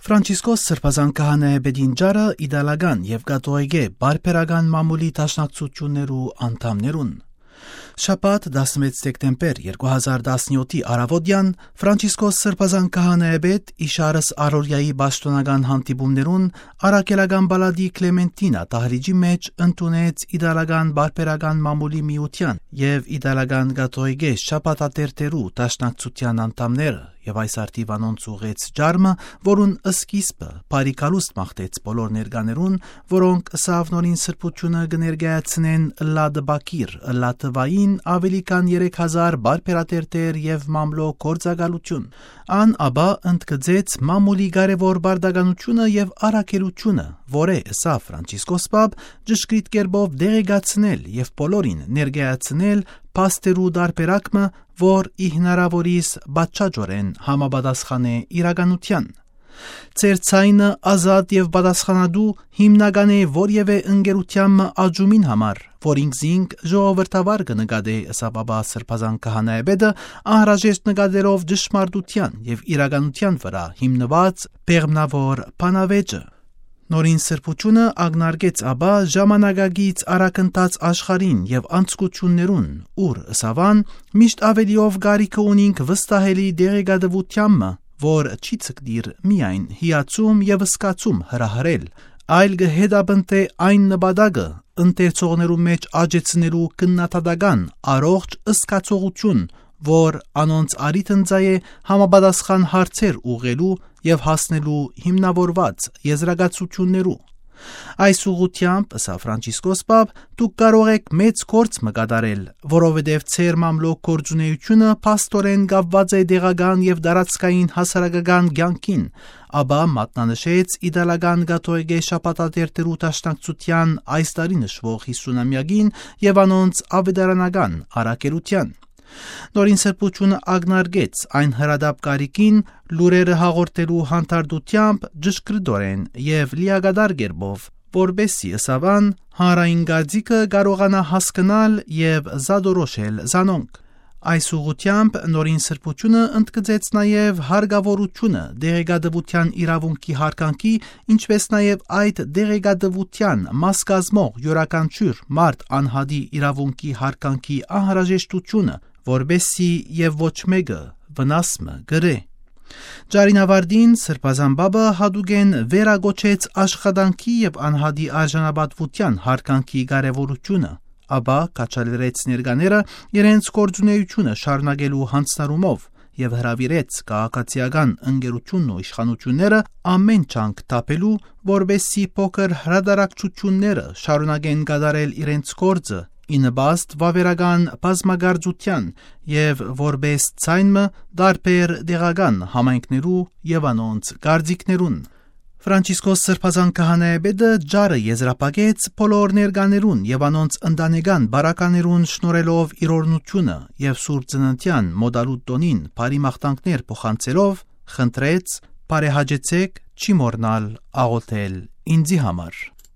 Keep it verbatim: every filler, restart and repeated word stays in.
Ֆրանցիսկոս Սրբազան քահանայապետին ճառը իտալական եւ կաթողիկէ պարբերական մամուլի դաշնակցութիւններու անդամներուն։ Շաբաթ, տասնմեկ դեկտեմբեր երկու հազար տասնեթի առաւօտեան, Ֆրանցիսկոս Սրբազան քահանայապետ, իշարս առօրեայի պաշտօնական հանդիպումներուն, առաքելական պալատի Կլեմենտինա դահլիճի մէջ ընդունեց իտալական պարբերական մամուլի միութեան եւ իտալական կաթողիկէ շաբաթատերթերու դաշնակցութեան անդամները, եւ այս արդիւ անոնց ուղղեց ճառ մը, որուն սկիզբը բարի գալուստ մաղթեց բոլոր ներկաներուն, որոնք ըսաւ նորին սրբութիւնը կը ներկայացնեն ըլլա տպագիր, ըլլա թուային աւելի քան երեք հազար պարբերատերթեր եւ մամլոյ գործակալութիւն։ Ան ապա ընդգծեց մամուլի կարեւոր պարտականութիւնը եւ առաքելութիւնը, որը, ըսաւ Ֆրանցիսկոս Պապ, ճշգրիտ կերպով տեղեկացնել եւ բոլորին ներկայացնել փաստերու տարբերակ մը, որ ի հնարաւորիս պատշաճօրէն համապատասխան է իրականութեան։ Ձեր ձայնը ազատ եւ պատասխանատու հիմնական է որեւէ ընկերութեան մը աճումին համար, որ ինքզինք ժողովրդավար կը նկատէ, ըսաւ ապա Սրբազան քահանայապետը, անհրաժեշտ նկատելով ճշմարտութեան եւ իրականութեան վրայ հիմնուած բեղմնաւոր բանավեճը։ Նորին սրբութիւնը ակնարկեց ապա ժամանակակից առաքնթաց աշխարհին եւ անցկություններուն, ուր, ըսաւ ան, միշտ աւելիով կարիքը ունինք վստահելի տեղեկատվութեան մը, որ չի ցկտիր միայն հիացում եւ զգացում հրահրել, այլ կը հետապնդէ այն նպատակը, ընթերցողներու մէջ աճեցնելու քննադատական առողջ զգացողութիւն, որ անոնց առիթ ընծայ է համապատասխան հարցեր ուղղելու եւ հասնելու հիմնաւորուած եզրակացութիւններու։ Այս ուղղութեամբ, ըսաւ Ֆրանցիսկոս Պապ, դուք կարող էք մեծ գործ մը կատարել, որովհետեւ ձեր մամլոյ գործունեութիւնը փաստօրէն կապուած է տեղական եւ տարածքային հասարակական կեանքին, ապա մատնանշեց իտալական կաթողիկէ շաբաթատերթերու դաշնակցութեան այս տարի նշուող յիսունամեակին եւ անոնց աւետարանական առաքելութեան։ Նորին սրբութիւնը ակնարկեց այն հրատապ կարիքին, լուրերը հաղորդելու հանդարտութեամբ ճշգրտօրէն եւ լիակատար կերպով, որպեսզի, ըսաւ ան, հանրային կարծիքը կարողանայ հասկնալ եւ զատորոշել զանոնք։ Այս ուղղութեամբ նորին սրբութիւնը ընդգծեց նաեւ հարկաւորութիւնը տեղեկատվութեան իրաւունքի յարգանքի, ինչպէս նաեւ այդ տեղեկատվութեան մաս կազմող իւրաքանչիւր մարդ անհատի իրաւունքի յարգանքի անհրաժեշտութիւնը, որպեսզի եւ ոչ մէկը վնաս մը կրէ։ Ճառին աւարտին Սրբազան Պապը յատուկէն վերակոչեց աշխատանքի եւ անհատի արժանապատուութեան յարգանքի կարեւորութիւնը, ապա քաջալերեց ներկաները իրենց գործունեութիւնը շարունակելու յանձնառումով եւ հրաւիրեց քաղաքացիական ընկերութիւնն ու իշխանութիւնները ամէն ջանք թափելու, որպեսզի փոքր հրատարակչութիւնները շարունակեն կատարել իրենց գործը ի նպաստ վաւերական բազմագործութեան եւ որպէս ձայն մը տարբեր տեղական համայնքներու եւ անոնց կարծիքներուն։ Ֆրանցիսկոս Սրբազան քահանայապետը ճառը եզրափակեց բոլոր ներկաներուն եւ անոնց ընտանեկան բարականերուն շնորհելով իր օրհնութիւնը եւ Սուրբ Ծննդեան մօտալուտ տօնին բարի մաղթանքներ փոխանցելով, խնդրեց. «Բարեհաճեցէք, չի մոռնալ աղոթել ինծի համար»։